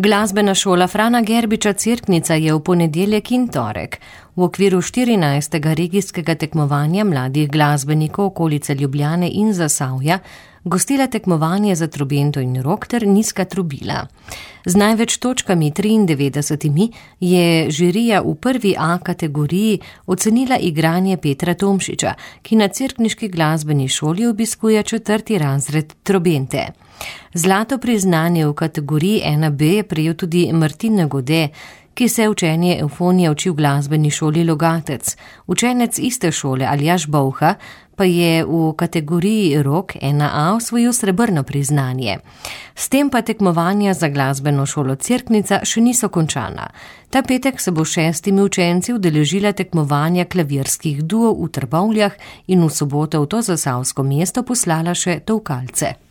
Glasbena šola Frana Gerbiča Cerknica je v ponedeljek in torek v okviru 14. regijskega tekmovanja mladih glasbenikov okolice Ljubljane in Zasavja gostila tekmovanje za trobento in rog ter nizka trobila. Z največ točkami 93 je žirija v prvi A kategoriji ocenila igranje Petra Tomšiča, ki na cerkniški glasbeni šoli obiskuje 4. razred trobente. Zlato priznanje v kategoriji 1B je prejel tudi Martin Gode, ki se učenje evfonije uči v glasbeni šoli Logatec. Učenec iste šole Aljaž Bovha pa je v kategoriji rog 1A osvojil srebrno priznanje. S tem pa tekmovanja za glasbeno šolo Cerknica še niso končana. Ta petek se bo 6 učenci udeležila tekmovanja klavirskih duov v Trbovljah in v soboto v to zasavsko mesto poslala še tolkalce.